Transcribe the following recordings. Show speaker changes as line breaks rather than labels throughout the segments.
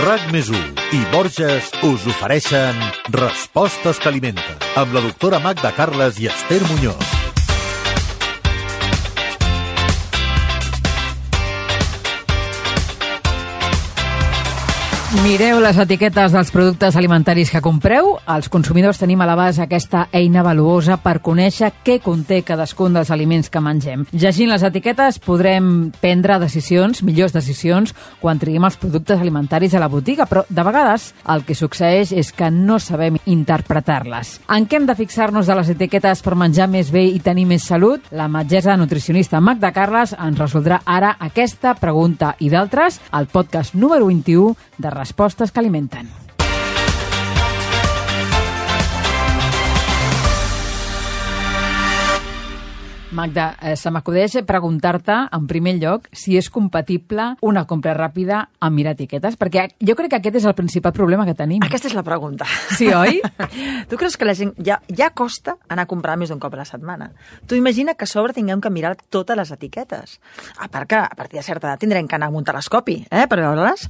RAC+1 i Borges us ofereixen Respostes que alimenten, amb la doctora Magda Carles i Esther Muñoz.
Mireu les etiquetes dels productes alimentaris que compreu. Els consumidors tenim a l'abast aquesta eina valuosa per conèixer què conté cadascun dels aliments que mengem. Llegint les etiquetes podrem prendre decisions, millors decisions, quan triem els productes alimentaris a la botiga, però de vegades el que succeeix és que no sabem interpretar-les. En què hem de fixar-nos de les etiquetes per menjar més bé i tenir més salut? La metgessa nutricionista Magda Carles ens resoldrà ara aquesta pregunta i d'altres al podcast número 21 de Respostes que alimenten. Magda, se m'acudeix preguntar-te, en primer lloc, si és compatible una compra ràpida amb mirar etiquetes, perquè jo crec que aquest és el principal problema que tenim.
Aquesta és la pregunta.
Sí, oi?
Tu creus que la gent ja costa anar a comprar més d'un cop a la setmana? Tu imagina que a sobre tinguem que mirar totes les etiquetes. A part que a partir de certa edat tindrem que anar amb un telescopi, per veure-les.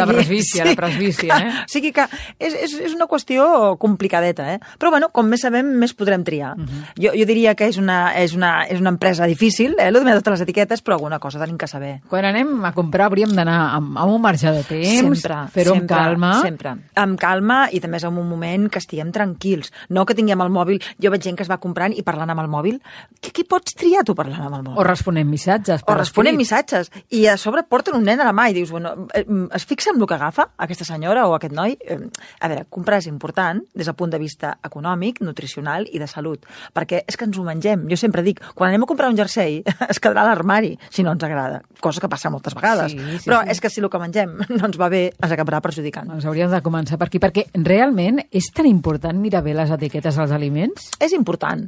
La presbícia,
O sigui que és una qüestió complicadeta, Però bueno, com més sabem, més podrem triar. Jo diria que és una empresa difícil, el de totes les etiquetes, però alguna cosa tenim que saber.
Quan anem a comprar hauríem d'anar amb un marge de temps, fer-ho amb calma.
Sempre, amb calma i també és en un moment que estiguem tranquils. No que tinguem el mòbil, jo veig gent que es va comprant i parlant amb el mòbil. Què pots triar tu parlant amb el mòbil?
O responent missatges.
Missatges. I a sobre porten un nen a la mà i dius, bueno, es fixa en el que agafa aquesta senyora o aquest noi? A veure, comprar és important des del punt de vista econòmic, nutricional i de salut, perquè és que ens ho mengem. Jo sempre dic, quan anem a comprar un jersei, es quedarà a l'armari, si no ens agrada. Cosa que passa moltes vegades. Sí, però és que si el que mengem no ens va bé, ens acabarà perjudicant.
Doncs hauríem de començar per aquí, perquè realment és tan important mirar bé les etiquetes dels aliments?
És important.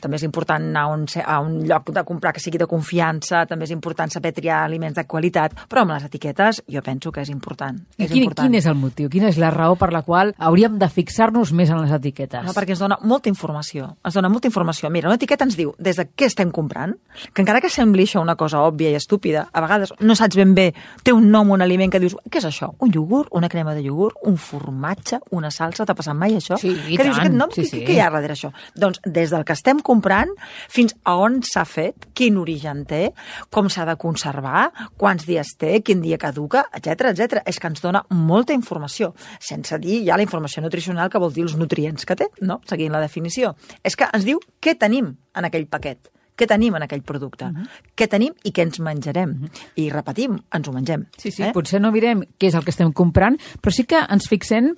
També és important anar a un lloc de comprar que sigui de confiança, també és important saber triar aliments de qualitat, però amb les etiquetes jo penso que és important.
Quin és el motiu? Quina és la raó per la qual hauríem de fixar-nos més en les etiquetes?
No, perquè ens dona molta informació. Mira, una etiqueta ens diu des de què estem comprant, que encara que sembli això una cosa òbvia i estúpida, a vegades no saps ben bé, té un nom, un aliment que dius, què és això? Un iogurt, una crema de iogurt, un formatge, una salsa, t'ha passat mai això?
Sí, i
que
tant.
Dius, aquest nom,
sí.
Què hi ha darrere això? Doncs des del que estem comprant fins a on s'ha fet, quin origen té, com s'ha de conservar, quants dies té, quin dia caduca, etc. És que ens dona molta informació, sense dir ja la informació nutricional que vol dir els nutrients que té, no? Seguint la definició. És que ens diu què tenim en aquell paquet, què tenim en aquell producte, què tenim i què ens menjarem. I repetim, ens ho mengem.
Sí, potser no mirem què és el que estem comprant, però sí que ens fixem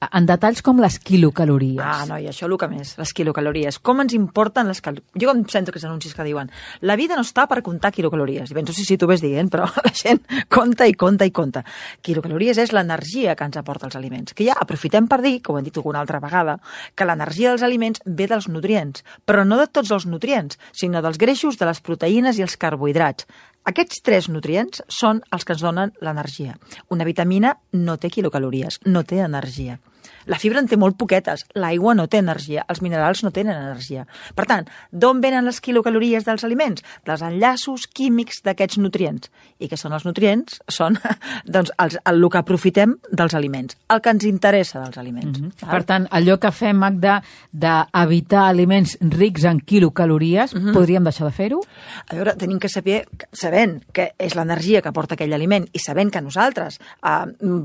en detalls com les quilocalories.
No, i això el que més, les quilocalories. Com ens importen les calories? Jo em sento aquests anuncis que diuen la vida no està per comptar quilocalories. I penso, sí, tu ves dient, però la gent compta. Quilocalories és l'energia que ens aporta els aliments. Que ja aprofitem per dir, que ho hem dit alguna altra vegada, que l'energia dels aliments ve dels nutrients, però no de tots els nutrients, sinó dels greixos, de les proteïnes i els carbohidrats. Aquests 3 nutrients són els que ens donen l'energia. Una vitamina no té quilocalories, no té energia. La fibra en té molt poquetes, l'aigua no té energia, els minerals no tenen energia. Per tant, d'on venen les quilocalories dels aliments? Dels enllaços químics d'aquests nutrients. I què són els nutrients? Són doncs, el que aprofitem dels aliments, el que ens interessa dels aliments.
Per tant, allò que fem, Magda, d'evitar aliments rics en quilocalories, podríem deixar de fer-ho?
A veure, tenim que saber, sabent que és l'energia que aporta aquell aliment i sabent que nosaltres,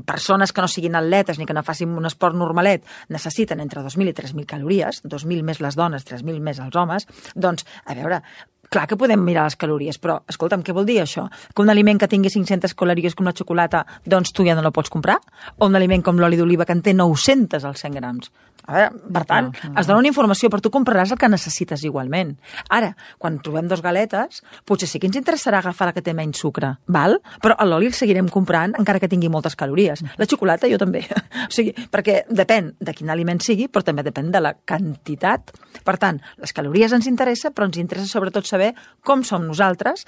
persones que no siguin atletes ni que no facin un esport normalet, necessiten entre 2.000 i 3.000 calories, 2.000 més les dones, 3.000 més els homes, doncs, a veure, clar que podem mirar les calories, però, escolta'm, què vol dir això? Que un aliment que tingui 500 calories com la xocolata, doncs tu ja no la pots comprar? O un aliment com l'oli d'oliva que en té 900 als 100 grams? A veure, per tant, es dona una informació, però tu compraràs el que necessites igualment. Ara, quan trobem 2 galetes, potser sí que ens interessarà agafar la que té menys sucre, val? Però l'oli el seguirem comprant encara que tingui moltes calories. La xocolata jo també. O sigui, perquè depèn de quin aliment sigui, però també depèn de la quantitat. Per tant, les calories ens interessa, però ens interessa sobretot saber com som nosaltres,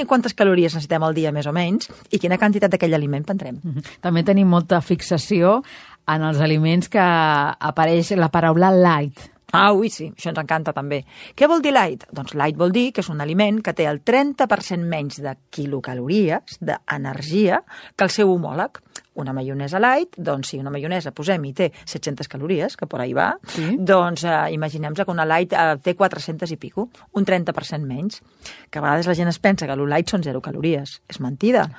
quantes calories necessitem al dia més o menys i quina quantitat d'aquell aliment prendrem.
També tenim molta fixació en els aliments que apareix la paraula light.
Ui, sí, això ens encanta també. Què vol dir light? Doncs light vol dir que és un aliment que té el 30% menys de quilocalories, d'energia, que el seu homòleg. una maionesa light, doncs si una maionesa posem-hi té 700 calories, que per ahí va,
Sí.
doncs imaginem-se que una light té 400 i pico, un 30% menys, que a vegades la gent es pensa que lo light són 0 calories. És mentida.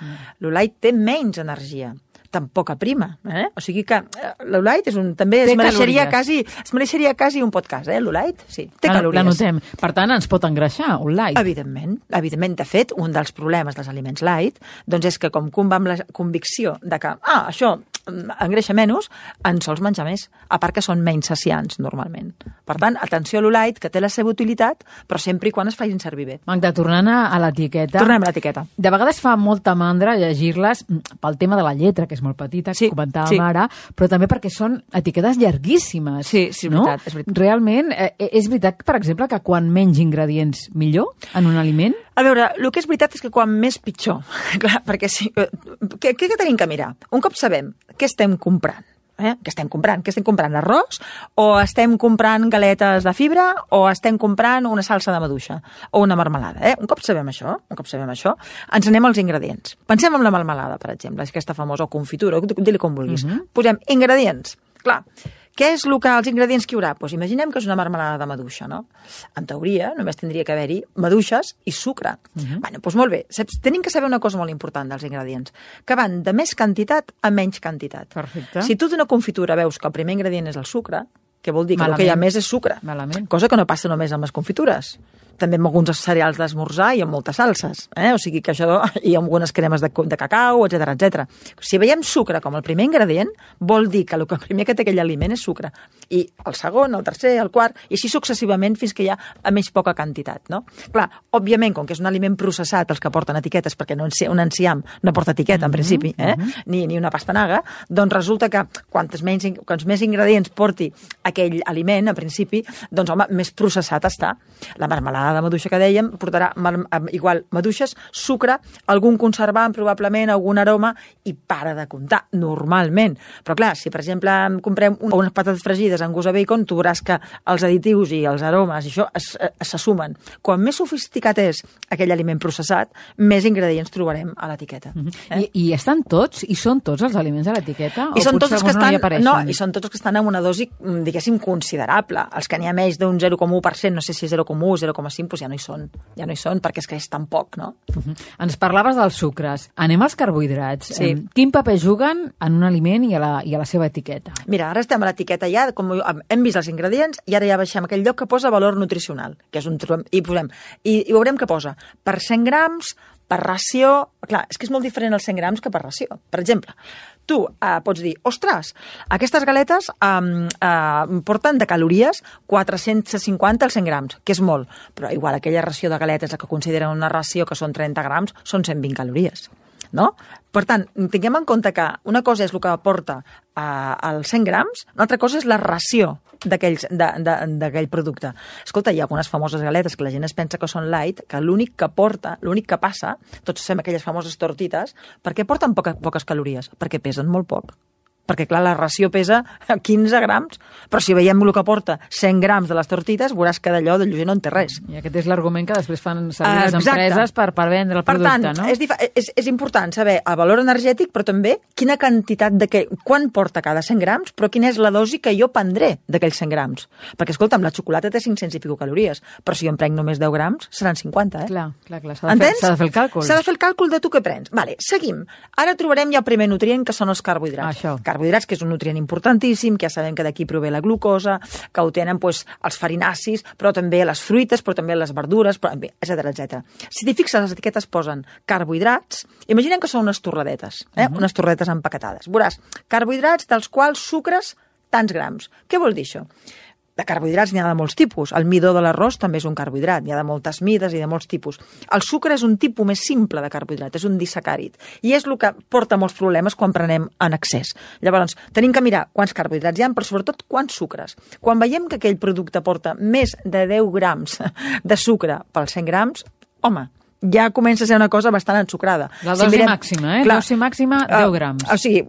Lo light té menys energia, tampoc prima. O sigui que lo light també
Té
es mereixeria quasi un podcast, lo light, sí, té calories.
L'anotem. Per tant, ens pot engreixar, un light.
Evidentment. De fet, un dels problemes dels aliments light doncs és que com va amb la convicció de que això engreixa menys, en sols menjar més, a part que són menys saciants normalment. Per tant, atenció a lo light, que té la seva utilitat, però sempre i quan es facin servir bé.
Magda, tornant a l'etiqueta.
Tornem a l'etiqueta.
De vegades fa molta mandra llegir-les pel tema de la lletra, que és molt petita, que comentàvem ara, però també perquè són etiquetes llarguíssimes.
Sí, és veritat, és veritat.
Realment, és veritat, per exemple, que quan menys ingredients, millor en un aliment?
A veure, el que és veritat és que quan més pitjor. Clar, perquè què tenim que mirar? Un cop sabem què estem comprant, Què estem comprant? Estem comprant arròs o estem comprant galetes de fibra o estem comprant una salsa de maduixa o una marmelada? Un cop sabem això, ens anem als ingredients. Pensem en la marmelada, per exemple, aquesta famosa confitura, digue-li com vulguis. Posem ingredients. Clar, què és els ingredients que hi haurà? Doncs imaginem que és una marmelada de maduixa, no? En teoria, només tindria que haver-hi maduixes i sucre. Doncs molt bé, tenim que saber una cosa molt important dels ingredients, que van de més quantitat a menys quantitat.
Perfecte.
Si tu d'una confitura veus que el primer ingredient és el sucre, que vol dir que el que hi ha més és sucre.
Malament.
Cosa que no passa només amb les confitures. També amb alguns cereals d'esmorzar i amb moltes salses. O sigui que això, i amb algunes cremes de cacau, etc. Si veiem sucre com el primer ingredient, vol dir que el primer que té aquell aliment és sucre. I el segon, el tercer, el quart, i així successivament fins que hi ha a més poca quantitat. No? Clar, òbviament, com que és un aliment processat, els que porten etiquetes, perquè un enciam no porta etiqueta, en principi, ni una pastanaga, doncs resulta que quants més ingredients porti aquell aliment, en principi, doncs, home, més processat està. La marmelada de maduixa que dèiem portarà igual maduixes, sucre, algun conservant, probablement algun aroma, i para de comptar, normalment. Però clar, si per exemple comprem unes patates fregides amb gust de bacon, tu veuràs que els additius i els aromes i això se sumen. Quan més sofisticat és aquell aliment processat, més ingredients trobarem a l'etiqueta.
I estan tots? I són tots els aliments a l'etiqueta?
I són tots els que estan,
no,
i són tots els que estan en una dosi, diguéssim, considerable. Els que n'hi ha més d'un 0,1%, no sé si 0,1 o 0,5, doncs ja no hi són, perquè és que és tan poc, no?
Ens parlaves dels sucres. Anem als carbohidrats.
Sí.
Quin paper juguen en un aliment i a la seva etiqueta?
Mira, ara estem a l'etiqueta ja, com hem vist els ingredients, i ara ja baixem aquell lloc que posa valor nutricional, que és i veurem què posa. Per 100 grams, per ració. Clar, és que és molt diferent els 100 grams que per ració. Per exemple, tu pots dir, ostres, aquestes galetes porten de calories 450 als 100 grams, que és molt, però igual aquella ració de galetes, que consideren una ració que són 30 grams, són 120 calories. No? Per tant, tinguem en compte que una cosa és el que aporta als 100 grams, una altra cosa és la ració d'aquell producte. Escolta, hi ha algunes famoses galetes que la gent es pensa que són light, que l'únic que passa, tots fem aquelles famoses tortites, perquè porten poques calories? Perquè pesen molt poc. Perquè, clar, la ració pesa 15 grams, però si veiem el que porta 100 grams de les tortites, veuràs que d'allò de lleuger no en té res.
I aquest és l'argument que després fan servir les empreses per vendre el producte,
no? Per tant, és important saber el valor energètic, però també quina quantitat quan porta cada 100 grams, però quina és la dosi que jo prendré d'aquells 100 grams. Perquè, escolta'm, la xocolata té 500 i pico calories, però si jo em prenc només 10 grams, seran 50,
Clar, s'ha de fer el càlcul.
S'ha de fer el càlcul de tu què prens. Vale, seguim. Ara trobarem ja el primer nutrient, que són els carbohidrats. Carbohidrats, que és un nutrient importantíssim, que ja sabem que d'aquí prové la glucosa, que ho tenen els farinacis, però també les fruites, però també les verdures, etc. Si t'hi fixes, les etiquetes posen carbohidrats, imaginem que són unes torradetes, unes torradetes empaquetades. Veuràs, carbohidrats dels quals sucres tants grams. Què vol dir això? De carbohidrats n'hi ha de molts tipus. El midó de l'arròs també és un carbohidrat. N'hi ha de moltes mides i de molts tipus. El sucre és un tipus més simple de carbohidrat, és un disacàrid. I és el que porta molts problemes quan prenem en excés. Llavors, tenim que mirar quants carbohidrats hi ha, però sobretot quants sucres. Quan veiem que aquell producte porta més de 10 grams de sucre pels 100 grams, home, ja comença a ser una cosa bastant ensucrada.
La dosi màxima,
Clar,
dosi màxima, 10 grams.
O sigui,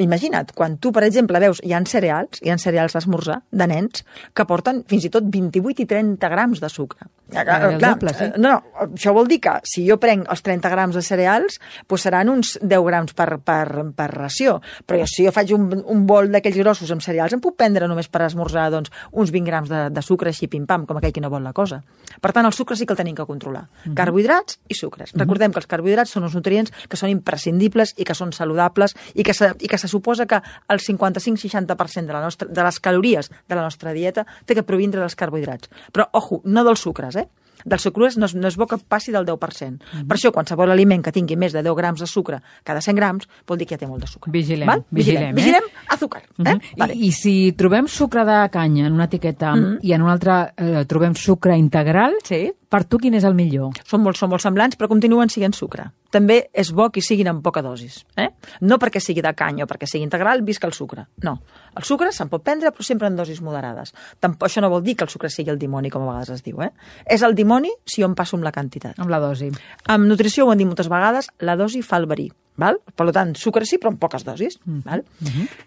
imagina't, quan tu, per exemple, veus, hi ha cereals d'esmorzar, de nens, que porten fins i tot 28 i 30 grams de sucre.
Doble, sí.
No, això vol dir que si jo prenc els 30 grams de cereals, doncs seran uns 10 grams per ració. Però si jo faig un bol d'aquells grossos amb cereals, em puc prendre només per esmorzar doncs, uns 20 grams de sucre així pim-pam, com aquell que no vol la cosa. Per tant, el sucre sí que el tenim que controlar. Carbohidrats i sucres. Recordem que els carbohidrats són uns nutrients que són imprescindibles i que són saludables i que se suposa que el 55-60% de les calories de la nostra dieta té que provindre dels carbohidrats. Però, ojo, no dels sucres, dels sucres no és bo que passi del 10%. Per això, qualsevol aliment que tingui més de 10 grams de sucre cada 100 grams vol dir que ja té molt de sucre.
Vigilem,
azúcar. Vale.
I si trobem sucre de canya en una etiqueta i en una altra trobem sucre integral, per tu quin és el millor?
Són molt semblants, però continuen sent sucre. També és bo que siguin en poca dosis. No perquè sigui de canya o perquè sigui integral, visca el sucre. No. El sucre se'n pot prendre, però sempre en dosis moderades. Això no vol dir que el sucre sigui el dimoni, com a vegades es diu. És el dimoni si jo em passo amb la quantitat.
Amb la dosi.
En nutrició ho hem dit moltes vegades, la dosi fa el verí. Val? Per tant, sucre sí, però en poques dosis. Val?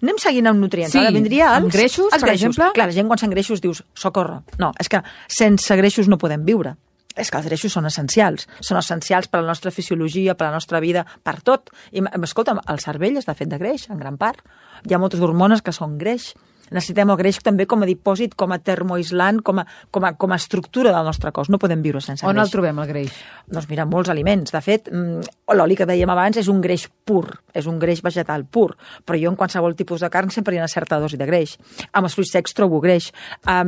Anem seguint amb nutrients.
Sí,
ara vindria
amb greixos, per exemple?
Clar, la gent quan sent greixos dius, socorro. No, és que sense greixos no podem viure. És que els greixos són essencials per a la nostra fisiologia, per a la nostra vida, per tot. I, escolta'm, el cervell està fet de greix, en gran part. Hi ha moltes hormones que són greix. Necessitem el greix també com a dipòsit, com a termoaislant, com a estructura del nostre cos. No podem viure sense greix.
On el trobem, el greix?
Doncs mira, molts aliments. De fet, l'oli que dèiem abans és un greix pur, és un greix vegetal pur, però jo en qualsevol tipus de carn sempre hi ha una certa dosi de greix. Amb els fruits secs trobo greix.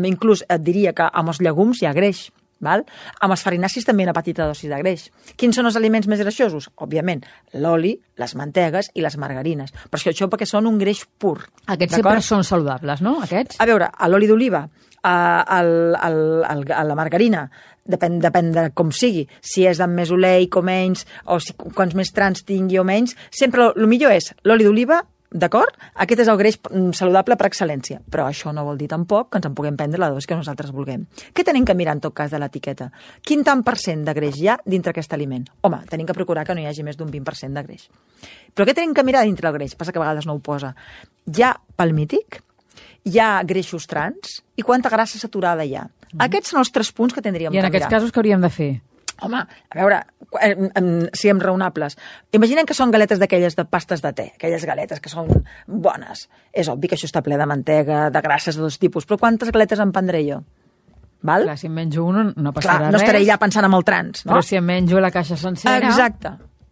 Inclús et diria que amb els llegums hi ha greix. Val? Amb els farinacis també una petita dosi de greix. Quins són els aliments més greixosos? Òbviament, l'oli, les mantegues i les margarines. Però això perquè són un greix pur.
Aquests sempre són saludables, no? Aquests?
A veure, l'oli d'oliva, la margarina, depèn de com sigui, si és amb més oleic o menys, o quants més trans tingui o menys, sempre el millor és l'oli d'oliva. D'acord? Aquest és el greix saludable per excel·lència. Però això no vol dir tampoc que ens en puguem prendre la dosi que nosaltres vulguem. Què tenim que mirar en tot cas de l'etiqueta? Quin tant per cent de greix hi ha dintre aquest aliment? Home, tenim que procurar que no hi hagi més d'un 20% de greix. Però què tenim que mirar dintre el greix? Passa que a vegades no ho posa. Hi ha palmític, hi ha greixos trans i quanta grassa saturada hi ha. Aquests són els 3 punts que tindríem que mirar.
I en aquests casos què hauríem de fer?
Home, a veure, siguem raonables. Imaginem que són galetes d'aquelles de pastes de te, aquelles galetes que són bones. És obvi que això està ple de mantega, de grasses de dos tipus, però quantes galetes en prendré jo? Val?
Clar, si em menjo un no passarà res.
No estaré ja pensant en el trans, no?
Però si em menjo la caixa sencera...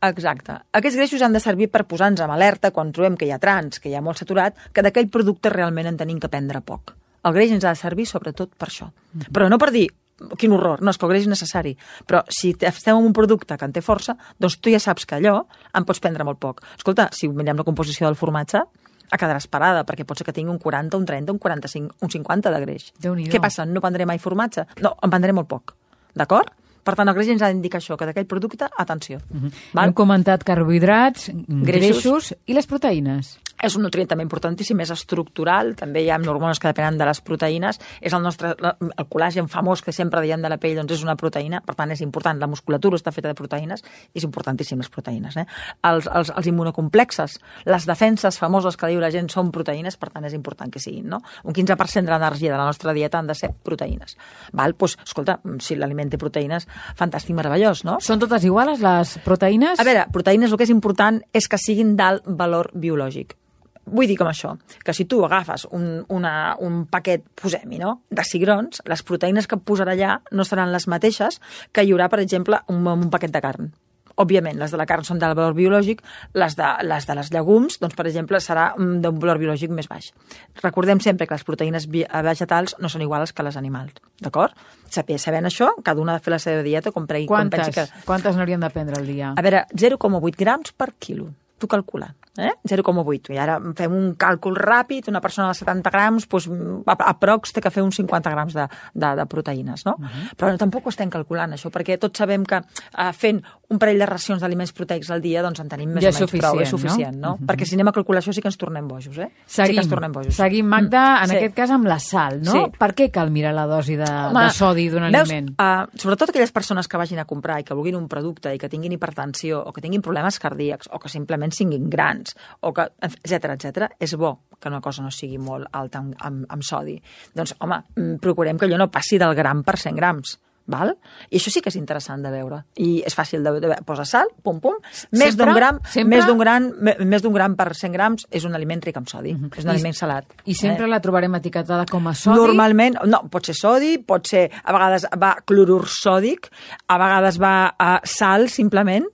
Exacte. Aquests greixos han de servir per posar-nos amb alerta quan trobem que hi ha trans, que hi ha molt saturat, que d'aquell producte realment en tenim que prendre poc. El greix ens ha de servir sobretot per això. Però no per dir, quin horror, no, és que el greix és necessari. Però si estem en un producte que en té força, doncs tu ja saps que allò en pots prendre molt poc. Escolta, si mirem la composició del formatge, quedaràs parada, perquè pot ser que tingui un 40, un 30, un 45, un 50 de greix.
Déu-n'hi-do.
Què passa? No prendré mai formatge? No, en prendré molt poc. D'acord? Per tant, el greix ens ha d'indicar això, que d'aquell producte, atenció.
Hem comentat carbohidrats, greixos i les proteïnes.
És un nutrient també importantíssim, és estructural, també hi ha hormones que depenen de les proteïnes, és el col·làgen famós que sempre diem de la pell, doncs és una proteïna, per tant és important, la musculatura està feta de proteïnes, i és importantíssim les proteïnes. Els immunocomplexes, les defenses famoses que diu la gent són proteïnes, per tant és important que siguin, no? Un 15% de l'energia de la nostra dieta han de ser proteïnes. Doncs, escolta, si l'aliment té proteïnes, fantàstic, meravellós, no?
Són totes iguals, les proteïnes?
A veure, proteïnes el que és important és que siguin d'alt valor biològic. Vull dir com això, que si tu agafes un paquet, posem-hi, no?, de cigrons, les proteïnes que et posarà allà no seran les mateixes que hi haurà, per exemple, un paquet de carn. Òbviament, les de la carn són d'alt valor biològic, les de les llegums, doncs, per exemple, serà d'un valor biològic més baix. Recordem sempre que les proteïnes vegetals no són iguals que les animals, d'acord? Sabent això, cada una ha de fer la seva dieta com pensi que...
Quantes n'hauríem de prendre al dia?
A veure, 0,8 grams per quilo. Tu calcula. 0,8. I ara fem un càlcul ràpid, una persona de 70 grams, doncs, aprox té que fer uns 50 grams de proteïnes, no? Però tampoc ho estem calculant, això, perquè tots sabem que fent un parell de racions d'aliments proteics al dia, doncs en tenim més o menys prou, és suficient, no? Perquè si anem a calcular això sí que ens tornem bojos,
Seguim, Magda, en aquest cas amb la sal, no?
Sí.
Per què cal mirar la dosi de sodi d'un aliment?
Sobretot aquelles persones que vagin a comprar i que vulguin un producte i que tinguin hipertensió o que tinguin problemes cardíacs o que simplement siguin grans, o que, etcètera, és bo que una cosa no sigui molt alta amb sodi. Doncs, home, procurem que allò no passi del gram per 100 grams. Val? I això sí que és interessant de veure. I és fàcil de veure. Posa sal, pum, pum. Més d'un gram per 100 grams és un aliment ric en sodi. És un aliment salat.
I sempre la trobarem etiquetada com a sodi?
Normalment, no, pot ser sodi, pot ser, a vegades va clorur sòdic, a vegades va sal, simplement.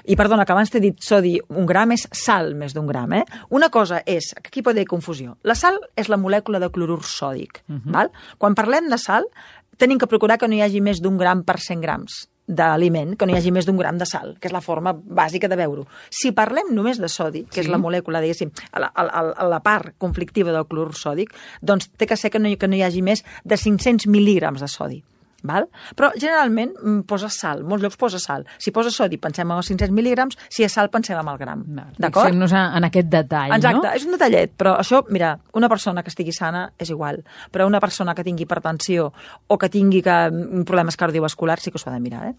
I perdona, que abans t'he dit sodi, un gram és sal més d'un gram. Una cosa és, que aquí pot haver confusió, la sal és la molècula de clorur sòdic. Val? Quan parlem de sal, tenim que procurar que no hi hagi més d'un gram per 100 grams d'aliment, que no hi hagi més d'un gram de sal, que és la forma bàsica de veure-ho. Si parlem només de sodi, que és la molècula, diguéssim, la part conflictiva del clorur sòdic, doncs té que ser que no hi hagi més de 500 mil·lígrams de sodi. Val? Però generalment posa sal, molts llocs posa sal. Si posa sodi pensem en els 500 mil·lígrams, si és sal pensem en el gram. D'acord?
Fixem-nos en aquest detall,
exacte,
no?
És un detallet, però això, mira, una persona que estigui sana és igual, però una persona que tingui hipertensió o que tingui problemes cardiovasculars sí que s'ho ha de mirar,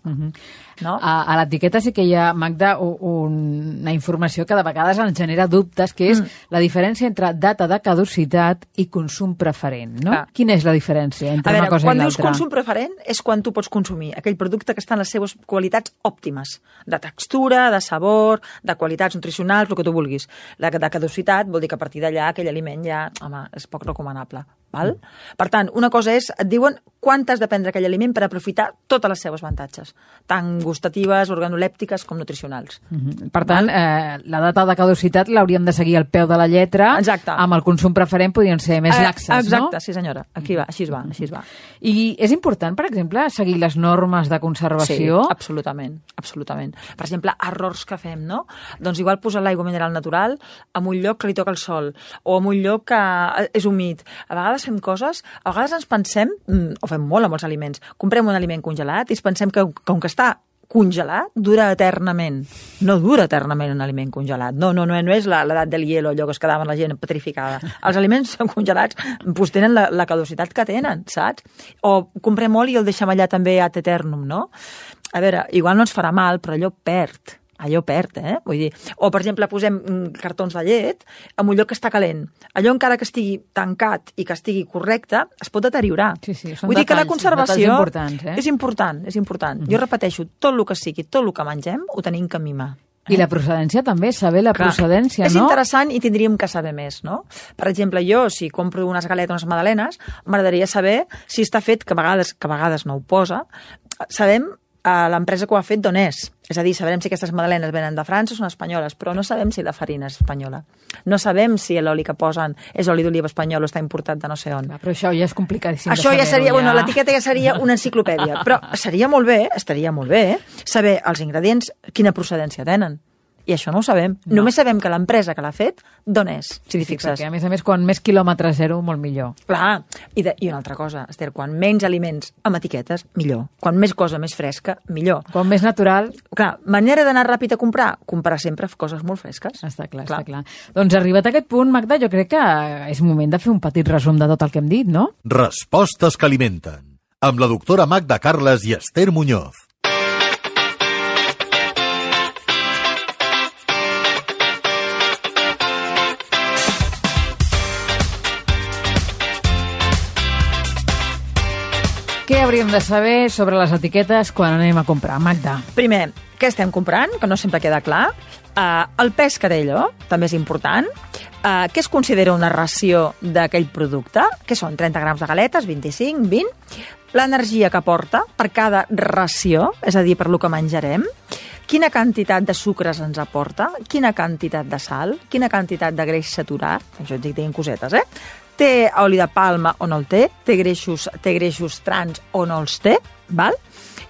No?
A l'etiqueta sí que hi ha, Magda, una informació que de vegades ens genera dubtes, que és la diferència entre data de caducitat i consum preferent, no? Quina és la diferència entre una cosa i l'altra?
Quan dius consum preferent és quan tu pots consumir aquell producte que està en les seves qualitats òptimes, de textura, de sabor, de qualitats nutricionals, el que tu vulguis. La de caducitat vol dir que a partir d'allà aquell aliment ja, home, és poc recomanable. Val? Per tant, una cosa és, et diuen quan t'has de prendre aquell aliment per aprofitar totes les seves avantatges, tant gustatives, organolèptiques com nutricionals.
Per tant, la data de caducitat l'hauríem de seguir al peu de la lletra.
Exacte.
Amb el consum preferent podrien ser més laxes, no?
Exacte, sí senyora. Aquí va, així es va.
I és important, per exemple, seguir les normes de conservació?
Sí, absolutament. Per exemple, errors que fem, no? Doncs igual posar l'aigua mineral natural en un lloc que li toca el sol o en un lloc que és humit. A vegades fem coses, a vegades ens pensem, o fem molt amb els aliments, comprem un aliment congelat i ens pensem que com que està congelat, dura eternament. No dura eternament un aliment congelat. No és l'edat del hielo, allò que es quedava la gent petrificada. Els aliments congelats doncs tenen la caducitat que tenen, saps? O comprem oli i el deixem allà també ad eternum, no? A veure, igual no ens farà mal, però allò perd, Vull dir, o per exemple posem cartons de llet en un lloc que està calent. Allò encara que estigui tancat i que estigui correcte, es pot deteriorar.
Sí,
vull dir que la conservació
és
important. Jo repeteixo, tot el que sigui, tot el que mengem, ho tenim que mimar.
I la procedència també, saber la procedència, no?
És interessant i tindríem que saber més, no? Per exemple, jo, si compro unes galetes, unes magdalenes, m'agradaria saber si està fet, que a vegades no ho posa, sabem l'empresa que ho ha fet d'on és. És a dir, sabrem si aquestes magdalenes venen de França o són espanyoles, però no sabem si la farina és espanyola. No sabem si l'oli que posen és oli d'oliva espanyol o està importat de no sé on.
Però això ja és complicadíssim
de saber-ho. Això ja seria, l'etiqueta ja seria una enciclopèdia, però estaria molt bé saber els ingredients, quina procedència tenen. I això no ho sabem. No. Només sabem que l'empresa que l'ha fet, d'on és, si t'hi fixes.
Sí, a més, quan més quilòmetre zero, molt millor.
Clar, i una altra cosa, Esther, quan menys aliments amb etiquetes, millor. Quan més cosa més fresca, millor.
Quan més natural...
Clar, manera d'anar ràpid a comprar sempre coses molt fresques.
Està clar. Doncs arribat a aquest punt, Magda, jo crec que és moment de fer un petit resum de tot el que hem dit, no?
Respostes que alimenten. Amb la doctora Magda Carles i Esther Muñoz.
Què hauríem de saber sobre les etiquetes quan anem a comprar, Magda?
Primer, què estem comprant, que no sempre queda clar. El pes que té allò, també és important. Què es considera una ració d'aquell producte? Què són? 30 grams de galetes, 25, 20? L'energia que aporta per cada ració, és a dir, per lo que menjarem. Quina quantitat de sucres ens aporta? Quina quantitat de sal? Quina quantitat de greix saturat? Això et dic cosetes, Té oli de palma o no el té? Té greixos trans o no els té? Val?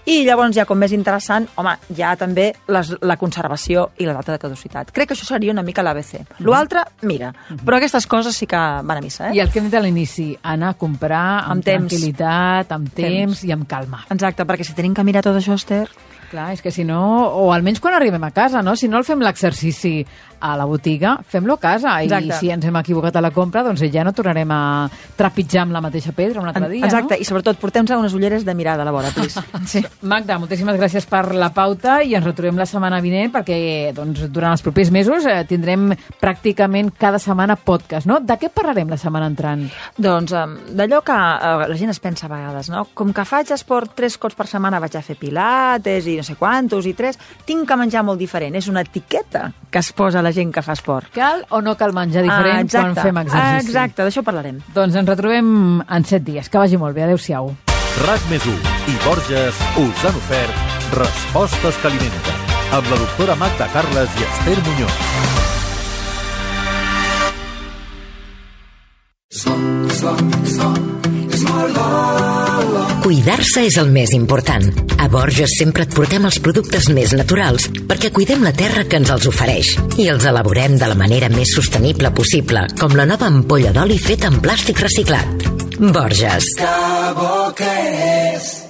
I llavors ja com més interessant, home, ja també la conservació i la data de caducitat. Crec que això seria una mica l'ABC. L'altre, mira, però aquestes coses sí que van a missa,
I el que hem dit a l'inici, anar a comprar amb tranquil·litat, amb temps i amb calma.
Exacte, perquè si tenim que mirar tot això, Esther...
Clar, és que si no, o almenys quan arribem a casa, no? Si no el fem l'exercici a la botiga, fem-lo a casa.
Exacte.
I si ens hem equivocat a la compra, doncs ja no tornarem a trepitjar amb la mateixa pedra un altre dia,
Exacte,
no?
I sobretot portem-nos unes ulleres de mirada a la vora, please.
Sí. Magda, moltíssimes gràcies per la pauta i ens retrobem la setmana vinent perquè doncs, durant els propers mesos tindrem pràcticament cada setmana podcast, no? De què parlarem la setmana entrant?
Doncs d'allò que la gent es pensa a vegades, no? Com que faig esport 3 cops per setmana, vaig a fer pilates i no sé quantos i 3, tinc que menjar molt diferent. És una etiqueta que es posa la gent que fa esport.
Cal o no cal menjar diferent quan fem exercici?
Exacte, d'això parlarem.
Doncs ens retrobem en 7 dies. Que vagi molt bé. Adéu-siau.
RAC+1 i Borges us han ofert Respostes que alimenten amb la doctora Magda Carles i Esther Muñoz.
Cuidar-se és el més important. A Borges sempre et portem els productes més naturals perquè cuidem la terra que ens els ofereix i els elaborem de la manera més sostenible possible, com la nova ampolla d'oli feta en plàstic reciclat. Borges.
Que bo que és!